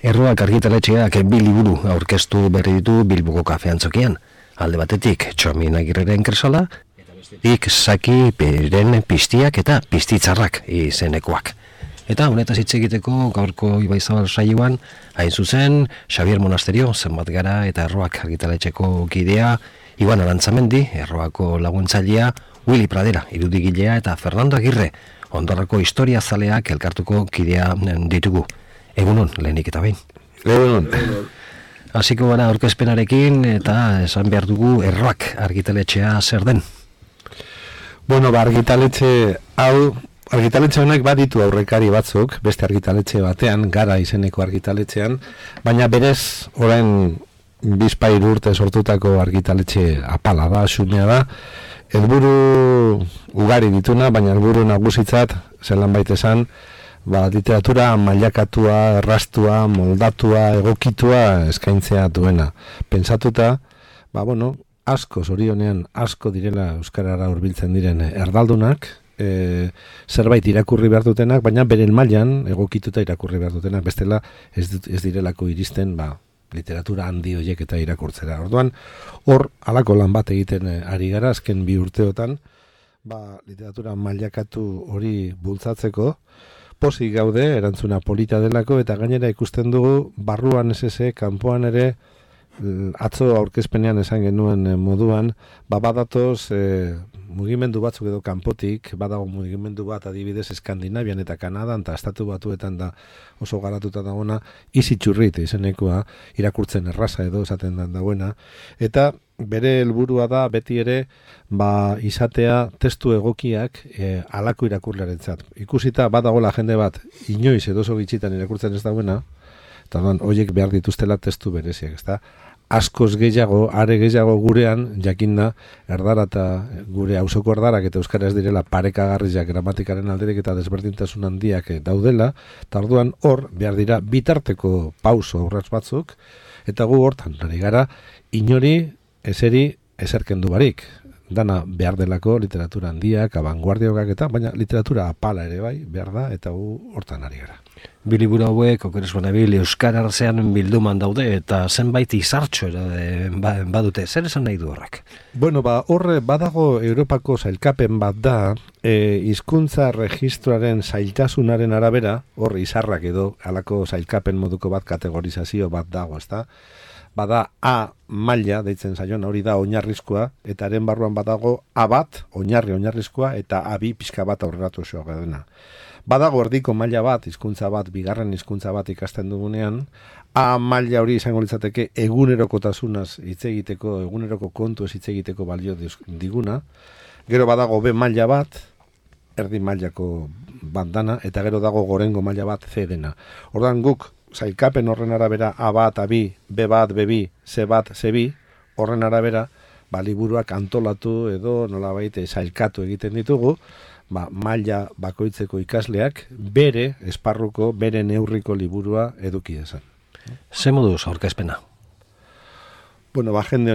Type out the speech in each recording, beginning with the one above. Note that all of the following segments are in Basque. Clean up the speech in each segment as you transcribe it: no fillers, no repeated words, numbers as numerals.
Erroak argitaletxeak bi liburu aurkeztu berri ditu Bilboko kafeantzokian. Alde batetik Txomin Agirreren Kresala, eta bestetik Saki Peren Piztiak eta Piztitzarrak izenekoak. Eta honetaz hitz egiteko gaurko Ibaizabal saioan, hain zuzen, Xabier Monasterio, zenbat gara eta Erroak argitaletxeko kidea, Iban Arantzamendi, Erroako laguntzailea, Willy Pradera, irudikilea eta Fernando Agirre, Ondorrako historia zaleak elkartuko kidea ditugu. Egunon, lehenik eta behin. Egunon. Hasiko gara aurkezpenarekin eta esan behar dugu Erroak argitaletxea zer den. Bueno, argitaletxe honek baditu aurrekari batzuk, beste argitaletxe batean, Gara izeneko argitaletxean, baina berez orain bizpahiru urte sortutako argitaletxe apala da, xumea da, helburu ugari dituna, baina helburu nagusitzat, zelan baita esan, literatura mailakatua, errastua, moldatua, egokitua eskaintzea duena. Pentsatuta, asko, zorionean asko direla euskarara hurbiltzen diren erdaldunak, zerbait irakurri behar dutenak, baina beren mailan egokituta irakurri behar dutenak, bestela ez direlako iristen, literatura handi horiek eta irakurtzera. Orduan, hor, halako lan bat egiten ari gara, azken 2 urteotan, literatura mailakatu hori bultzatzeko, pozik gaude, erantzuna polita delako, eta gainera ikusten dugu, barruan SS, kanpoan ere, atzo aurkezpenean esan genuen moduan, badatoz mugimendu batzuk edo kanpotik, badago mugimendu bat adibidez Eskandinavian eta Kanadan, eta Estatu Batuetan da oso garatuta dagoena, izitxurrit izenekoa, irakurtzen erraza edo esaten dagoena, eta bere helburua da beti ere izatea testu egokiak halako irakurlearentzat. Ikusita badagola jende bat inoiz edo oso gitxitan irakurtzen ez dagoena, eta horiek behar dituztela testu bereziak, ezta? Askoz gehiago, are gehiago gurean, jakinda, erdara eta gure auzoko erdarak eta euskaraz direla parekagarriak gramatikaren alderik eta desberdintasun handiak daudela, eta orduan hor behar dira bitarteko pauso aurrats batzuk, eta gu hortan ari gara inori eseri eserkendu barik. Dana behar delako literatura handiak, abanguardiokak eta, baina literatura apala ere bai, behar da, eta gu hortan ari gara. Bi liburu hauek, okeres banabil, euskararzean bilduman daude, eta zenbait izartxo badute, zer esan nahi du horrek? Bueno, horre badago Europako sailkapen bat da, hizkuntza registroaren zailtasunaren arabera, hor izarrak edo, halako sailkapen moduko bat kategorizazio bat dago, ezta? Bada A maila, deitzen zaion, hori da oinarrizkoa, eta haren barruan badago A bat, oinarrizkoa, eta A2 pixka bat aurreratu osoa dena. Badago erdiko maila bat, hizkuntza bat, bigarren hizkuntza bat ikasten dugunean, A maila hori izango litzateke egunerokotasunaz hitz egiteko, eguneroko kontuez hitz egiteko balio diguna. Gero badago B maila bat, erdi mailako bandana, eta gero dago gorengo maila bat C dena. Ordan guk sailkapen horren arabera A bat, A2, B bat, B2, C bat, C2, horren arabera, liburuak antolatu edo nolabait sailkatu egiten ditugu, maila bakoitzeko ikasleak bere esparruko, bere neurriko liburua eduki dezan. Ze moduz aurkezpena? Bueno, jende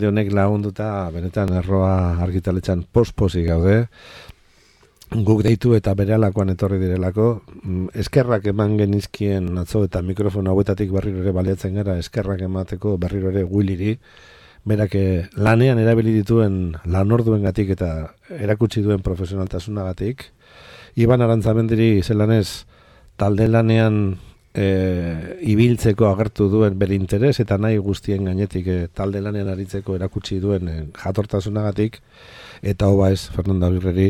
honek lagunduta, benetan Erroa argitaletxean pospozik gaude, guk deitu eta berehalakoan etorri direlako, eskerrak eman genizkien atzo eta mikrofono hauetatik berriro ere baliatzen gara, eskerrak emateko berriro ere Williri, berak lanean erabili dituen lanorduengatik eta erakutsi duen profesionaltasunagatik. Iban Arantzamendiri zelanez talde lanean ibiltzeko agertu duen bere interes eta nahi guztien gainetik talde lanean aritzeko erakutsi duen jatortasunagatik, eta hoba ez Fernando Agirreri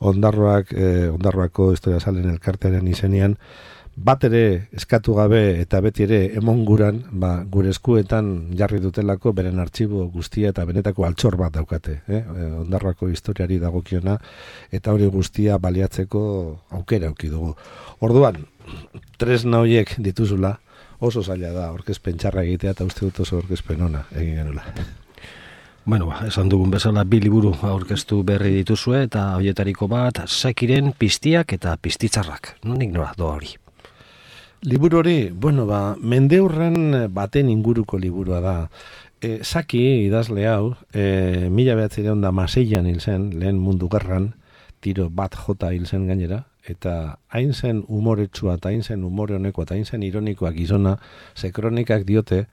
Ondarroako historia salen elkartearen izenean bat ere eskatu gabe eta beti ere emonguran gure eskuetan jarri dutelako beren artxibo guztia eta benetako altxor bat daukate, Ondarroako historiari dagokiona, eta hori guztia baliatzeko aukera auki dugu. Orduan, tresna horiek dituzula, oso zaila da aurkezpen txarra egitea eta uste dut oso aurkezpen ona egin genula. Esan dugun bezala 2 liburu aurkeztu berri dituzue eta horietariko bat Sakiren Piztiak eta Piztitzarrak. Nondik nora doa hori? Liburu hori, mendeurren baten inguruko liburua da. Saki idazle hau, 1906an hil zen, lehen mundu gerran, tiro bat jota hil zen gainera, eta hain zen humoretsua, eta hain zen humore honekoa, eta hain zen ironikoa gizona, ze kronikak diote,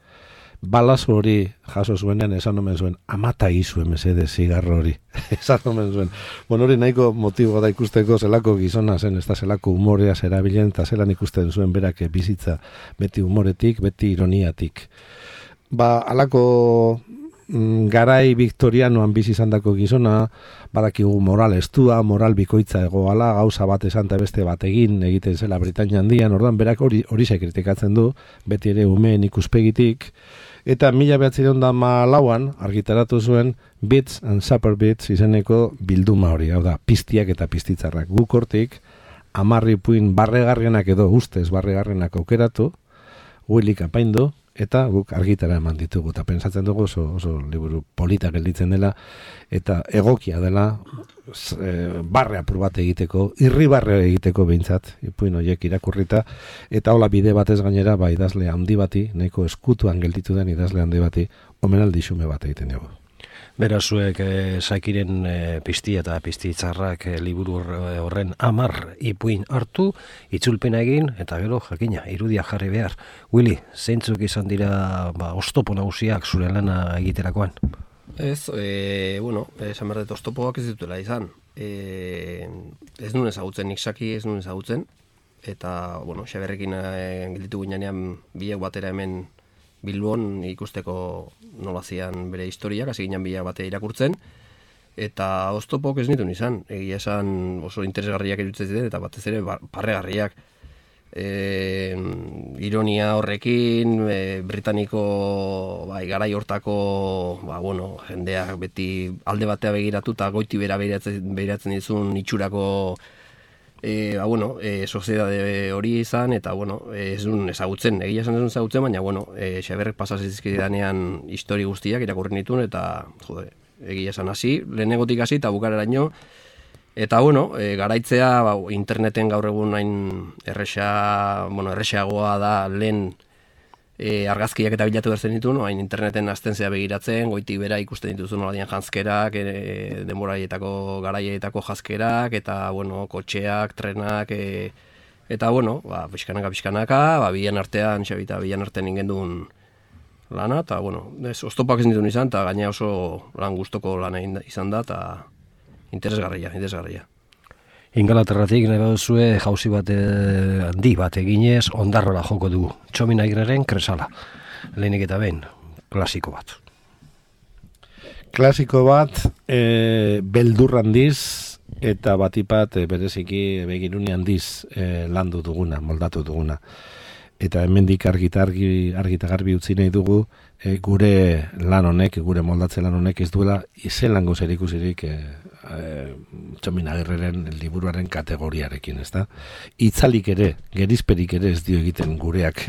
balazo hori jaso zuenean esan omen zuen, amata izue mesede zigarro hori. Esan omen zuen. Bueno, hori nahiko motibo da ikusteko zelako gizona zen, ez da zelako humorea zerabilen, eta zelan ikusten zuen berak bizitza beti humoretik, beti ironiatik. Alako garai viktorianoan bizi izandako gizona, badakigu moral estua, moral bikoitza egoala, gauza bat esan eta beste bat egiten zela Britainia Handian, ordan berak hori kritikatzen du, beti ere umeen ikuspegitik, eta 1904an argitaratu zuen Bits and Supper Bits izeneko bilduma hori, hau da, piztiak eta piztitzarrak. Guk hortik 10 ipuin barregarrienak edo ustez barregarrienak aukeratu, Willik apaindu, eta guk argitara eman ditugu, eta pentsatzen dugu oso liburu polita gelditzen dela, eta egokia dela barre apur bat egiteko, irribarre egiteko behintzat, ipuin horiek irakurrita, eta hola bide batez gainera, idazle handi bati, nahiko eskutuan gelditu den idazle handi bati, omenaldi xume bat egiten dugu. Berazuek Sakiren piztia eta piztitzarrak liburu horren 10 ipuin hartu, itzulpena egin, eta gero jakina, irudia jarri behar. Willy, zeintzuk izan dira oztopo nagusiak zure lana egiterakoan? Ez, esan behar dut oztopoak ez dutela izan. Ez nuen ezagutzen, nik Saki ez nuen ezagutzen, eta, Xaberrekin gelditu ginean biak batera hemen Bilbon ikusteko nolazian bere historiak, hasi ginen bila bate irakurtzen, eta oztopok ez nituen izan, egia esan oso interesgarriak iruditzen ziren, eta batez ere parregarriak. Ironia horrekin, britaniko garai hortako jendeak beti alde batea begiratu eta goiti bera begiratzen dizun itxurako soziedade hori izan, eta ez duen ezagutzen, egia esan ez duen ezagutzen, baina Xaberrek pasazizkidanean histori guztiak irakurri nituen, eta egia esan hasi, lehenegotik hasi eta bukareraino, eta garaitzea interneten gaur egun hain erresagoa da lehen argazkiak eta bilatu berzen ditu, hain interneten azten zea begiratzen, goitik bera ikusten dituzu noladian janzkerak, denboraietako garaietako janzkerak, eta kotxeak, trenak, eta pixkanaka, bilan artean, Xabita bilan artean ingendun lana, eta oztopak ez dituen izan, eta gaina oso lan gustoko lana izan da, eta interesgarria. Ingalaterratik nahi baduzue jauzi bat handi bat eginez ondarrola joko dugu. Txomin Agirreren Kresala. Lehenik eta behin, klasiko bat. Klasiko bat, beldur handiz, eta batipat bereziki begirune handiz landu duguna, moldatu duguna. Eta hemendik argi eta garbi utzi nahi dugu, gure lan honek, gure moldatze lan honek ez duela izelango zerikusirik Txomin Agirreren liburuaren kategoriarekin, ezta? Itzalik ere, gerizperik ere ez dio egiten gureak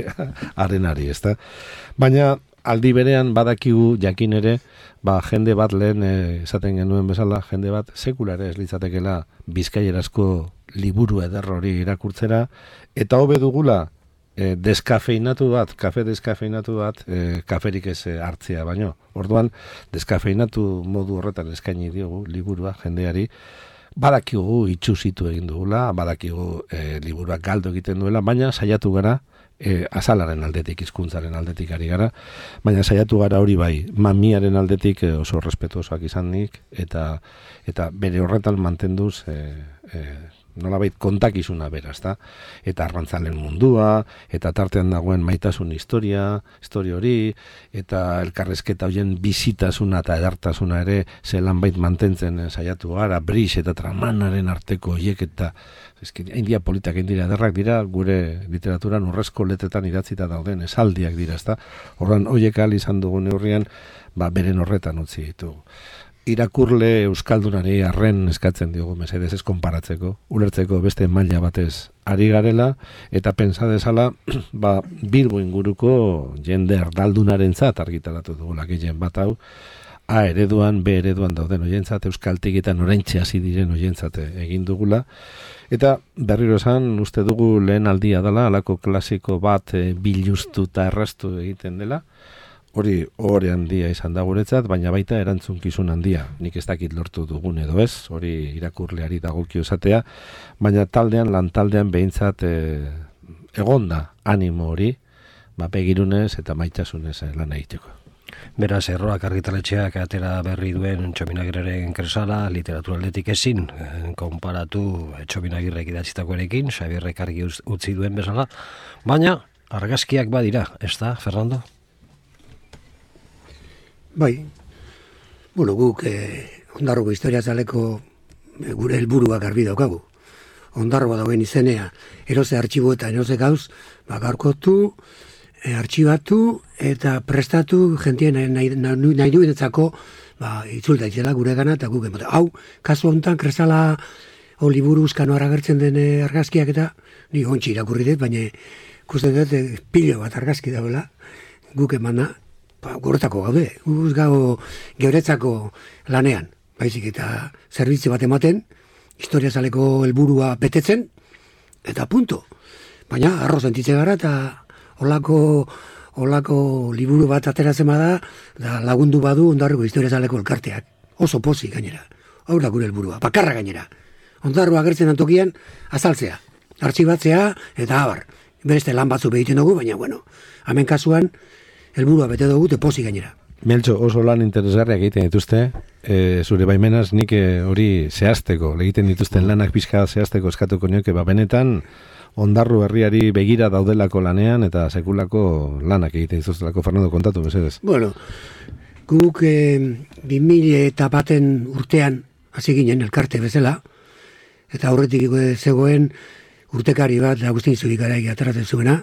arenari, ezta? Baina aldi berean badakigu jakin ere, jende bat lehen esaten genuen bezala, jende bat sekulare ez litzatekela bizkaierazko liburu eder hori irakurtzera, eta hobe dugula kafe deskafeinatu bat, kaferik ez hartzea, baino. Orduan, deskafeinatu modu horretan eskaini diogu liburua jendeari, badakigu itxusitu egin dugula, badakigu liburuak galdu egiten duela, baina saiatu gara, azalaren aldetik, hizkuntzaren aldetik ari gara, baina saiatu gara hori bai, mamiaren aldetik oso respetuosoak izanik, eta bere horretan mantenduz nolabait kontakizuna beraz, eta arrantzalen mundua, eta tartean dagoen maitasun historia hori, eta elkarrezketa horien bizitasuna eta edartasuna ere zelan bait mantentzen saiatu gara, Brix eta Tramanaren arteko hiek, eta India politak indira ederrak dira, gure literaturan urrezko letetan idatzita dauden esaldiak dira, ezta? Horren horiek ahal izan dugun neurrian, beren horretan utzi ditugu. Irakurle euskaldunari arren eskatzen diogu mesedez ez konparatzeko, ulertzeko beste maila batez ari garela, eta pentsa dezala, Bilbo inguruko jende erdaldunarentzat argitaratu dugula gehien bat hau, A ereduan, B ereduan dauden oientzat, euskaltik eta noraintxe hasi diren oientzat egin dugula, eta berriro esan, uste dugu lehen aldia dela, alako klasiko bat biluztu eta erraztu egiten dela, hori ohore handia izan da guretzat, baina baita erantzunkizun handia. Nik ez dakit lortu dugun edo ez, hori irakurleari dagokio esatea, baina lan taldean behintzat egonda animo hori, begirunez eta maitasunez lan egiteko. Beraz, Erroak argitaletxeak atera berri duen Txominagirreren kresala, literaturaldetik ezin, konparatu Txominagirrek idatzitakoarekin, Xabierrek argi utzi duen bezala, baina argazkiak badira, ez da, Fernando? Bai, bueno, guk Ondarroko historia zaleko gure helburuak garbi daukagu. Ondarroa dauen izenea, eroze artxibo eta eroze gauz, gaurkotu, artxibatu eta prestatu jentien nahi duenetzako itzulta itzela gure gana eta guk emote. Hau, kasu honetan, kresala liburu uzkano aragertzen den argazkiak eta ni ontsi irakurri dut, baina ikusten dut pilo bat argazki dauela guk emana, guretako gaude, guz gau geuretzako lanean, baizik eta zerbitzu bat ematen, historia zaleko helburua betetzen, eta punto. Baina, arro sentitze gara eta olako liburu bat ateratzen bada, da lagundu badu Ondarroko historia zaleko elkarteak. Oso pozik gainera. Hau da gure helburua, bakarra gainera. Ondarroa agertzen antokian, azaltzea, artxibatzea eta abar. Bereste lan batzu behiten dugu, baina, bueno, hemen kasuan, helburua bete dugu, te pozik gainera. Meltxo, oso lan interesgarriak egiten dituzte, zure baimenaz nik hori zehazteko, egiten dituzten lanak pixka zehazteko eskatuko nioke, benetan Ondarru herriari begira daudelako lanean eta sekulako lanak egiten dituztelako. Fernando, kontatu, mesedez. Bueno, guk 2001 urtean hasi ginen elkarte bezala, eta aurretik zegoen urtekari bat Agustin Zubikaraik ateratzen zuena,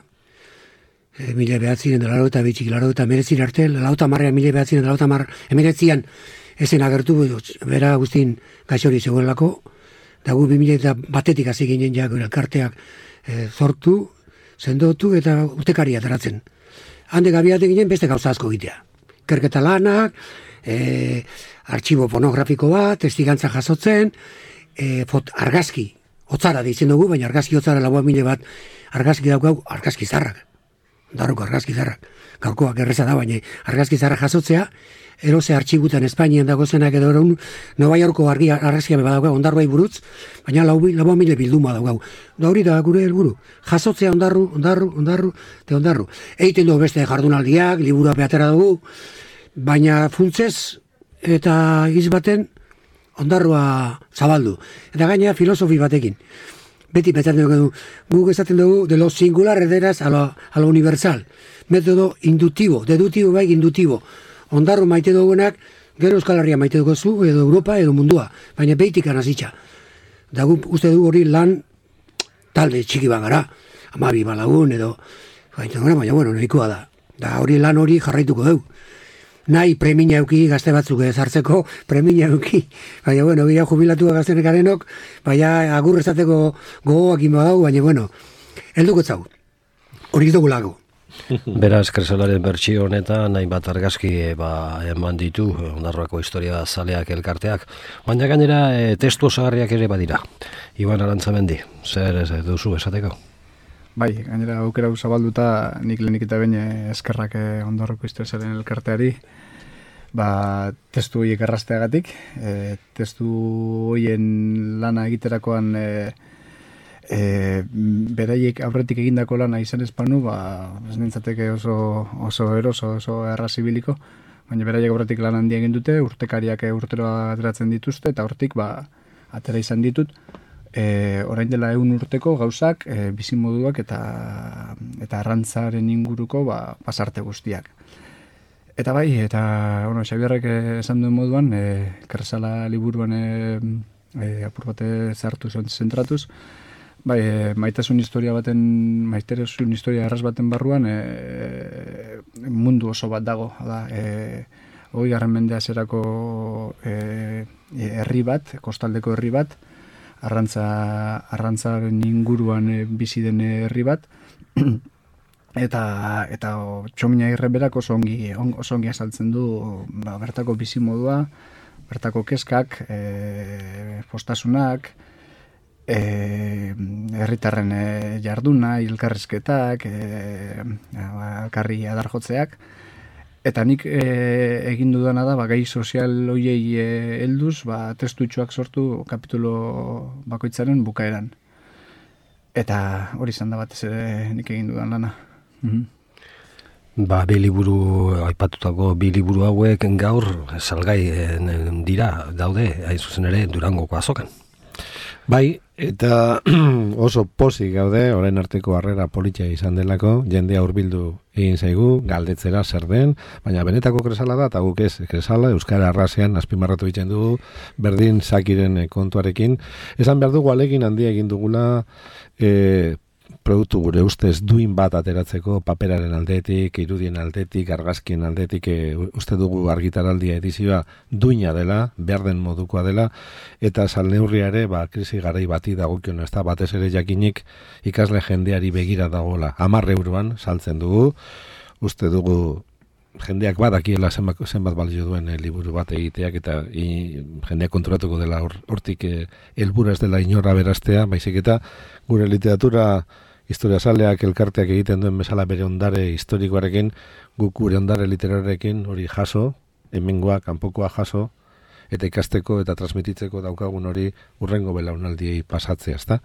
1992 arte, lauta marrean 1989 ezen agertu, bera Agustin gaixori zegoelako, eta gu 2001 hasi ginen ja gure elkarteak sortu, sendotu eta urtekari ateratzen. Hande gabiate ginen beste gauza asko egitea. Ikerketa lanak, artxibo pornografiko bat, testigantza jasotzen, argazki, hotzara deitzen dugu, baina argazki hotzara lagoa mile bat argazki daukau, argazki zarrak. Darroko argazki zarrak. Gaurkoak erreza da, baina argazki zarrak jasotzea, eroze artxibutan Espainian dago zenak edo eraun, Nova Yorko argazkia badaukau, Ondarruai buruz, baina lagoa mile bilduma daukau. Da hori da gure helburu. Jasotzea ondarru. Eiten dugu beste jardunaldiak, liburu beatera dugu, baina funtzez eta izbaten Ondarrua zabaldu. Eta gaina filosofi batekin. Beti betatzen dugu, guk esaten dugu, de lo singular ederaz a lo universal. Metodo indutibo, dedutibo bai indutibo. Ondarru maite dugunak, gero Euskal Herria maite dugu zu, edo Europa, edo mundua. Baina behitik anazitxa. Da guk uste dugu hori lan talde txiki bagara. 12 balagun edo, baina bueno, nahikoa da. Da hori lan hori jarraituko dugu. Nahi premia euki gazte batzuk ezartzeko, premia euki. Baina, bueno, bila jubilatua gaztenek garenok, baina agur esateko gogoak inbadau, baina, bueno, helduko zau. Hori dugu lago. Beraz, kresalaren bertsio honetan, nahi bat argazki eman ditu, Ondarroako historia zaleak elkarteak, baina gainera testu osagarriak ere badira. Iban Arantzamendi, zer duzu esateko? Bai, gainera aukera zabalduta nik lehenik eta behin eskerrak Ondarroko historiaren elkarteari, testu horiek errazteagatik, testu horien lana egiterakoan beraiek aurretik egindako lana izan espanu, ez nintzateke oso eroso, oso errazibiliko, baina beraiek aurretik lan handia egin dute, urtekariak urtero ateratzen dituzte, eta hortik atera izan ditut, orain dela 100 urteko gauzak, bizimoduak eta arrantzaren inguruko pasarte guztiak. Eta bai, bueno, Xabierrek esan duen moduan, kresala liburuan apur bate zartu zentratuz, bai, maitasun historia erraz baten barruan mundu oso bat dago, da, 20. mendea zerako herri bat, kostaldeko herri bat, arrantzaren inguruan bizi den herri bat, eta Txominagirre berak oso ongi azaltzen du bertako bizimodua, bertako kezkak, postasunak, herritarren jarduna, elkarrizketak, elkarri adarjotzeak, Eta nik egin dudana da, gai sozial hoiei helduz, testutxoak sortu kapitulo bakoitzaren bukaeran. Eta hori izan da batez ere nik egin dudan lana. Bi liburu, aipatutako bi liburu hauek gaur salgai dira, daude, hain zuzen ere, Durangoko azokan. Bai, eta oso pozik gaude, orain arteko harrera politia izan delako, jendea hurbildu egin zaigu, galdetzera zer den, baina benetako kresala da, eta guk ez, kresala, Euskara arrasean azpimarratu egiten dugu, berdin Sakiren kontuarekin. Esan behar dugu alegin handia egin dugula, produktu gure ustez duin bat ateratzeko paperaren aldetik, irudien aldetik, argazkien aldetik, uste dugu argitaraldia edizioa duina dela, behar den modukoa dela, eta salneurria ere, krisi garai bati dagokion, ez da, batez ere jakinik ikasle jendeari begira dagoela. 10 euroan saltzen dugu, uste dugu jendeak badakiela zenbat balio duen liburu bat egiteak, eta jendeak konturatuko dela hortik helburua ez dela inora beraztea, baizik eta gure literatura historiazaleak elkarteak egiten duen bezala bere ondare historikoarekin, guk gure ondare literarrekin hori jaso, hemengoa, kanpokoa jaso, eta ikasteko eta transmititzeko daukagun hori urrengo belaunaldiei pasatzea, ezta?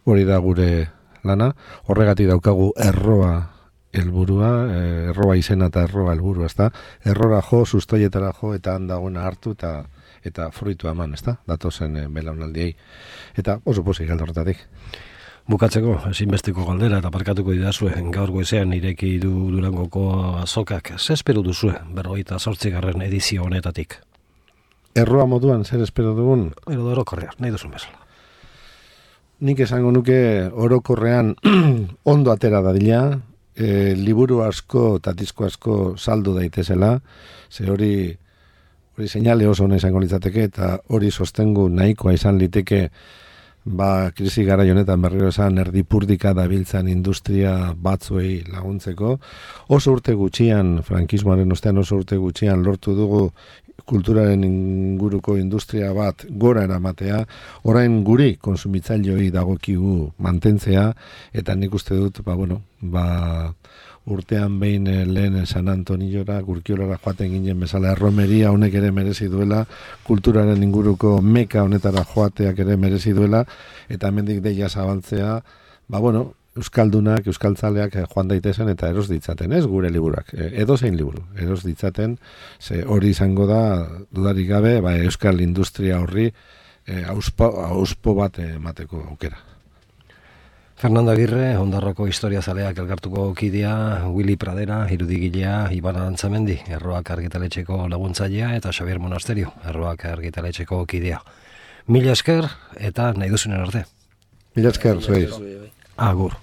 Hori da gure lana, horregatik daukagu erroa helburua, erroa izena eta erroa helburua, ezta? Errora jo, sustoietara jo, eta handagoena hartu eta fruitua eman, ezta? Datozen belaunaldiei. Eta oso pozik alde horretatik. Bukatzeko, ezinbesteko galdera eta parkatuko didazue, gaur goizean ireki du Durangoko azokak. Zer espero duzue, 58. edizio honetatik? Erroa moduan, zer espero dugun? Edo orokorrean, nahi duzun bezala. Nik esango nuke orokorrean ondo atera dadila, liburu asko eta disko asko saldu daitezela, ze hori seinale oso ona izango litzateke, eta hori sostengu nahikoa izan liteke krisi garai honetan berriro esan erdipurdika dabiltzan industria batzuei laguntzeko. Oso urte gutxian, frankismoaren ostean oso urte gutxian lortu dugu kulturaren inguruko industria bat gora eramatea, orain guri konsumitzaileoi dagokigu mantentzea, eta nik uste dut, urtean behin lehen San Antoniora, Gurkiolara joaten ginen bezala, erromeria honek ere merezi duela, kulturaren inguruko meka honetara joateak ere merezi duela, eta hemendik deia zabaltzea, euskaldunak, euskaltzaleak joan daitezen eta eros ditzaten, ez gure liburak, edozein liburu, eros ditzaten, ze hori izango da, dudarik gabe, euskal industria horri auspo bat emateko aukera. Fernando Agirre, Ondarroko historiazaleak elkartuko kidea, Willy Pradera, irudigilea, Iban Arantzamendi, Erroak argitaletxeko laguntzailea, eta Xabier Monasterio, Erroak argitaletxeko kidea. Mila esker eta nahi duzunen arte. Mila esker, zuei. Agur.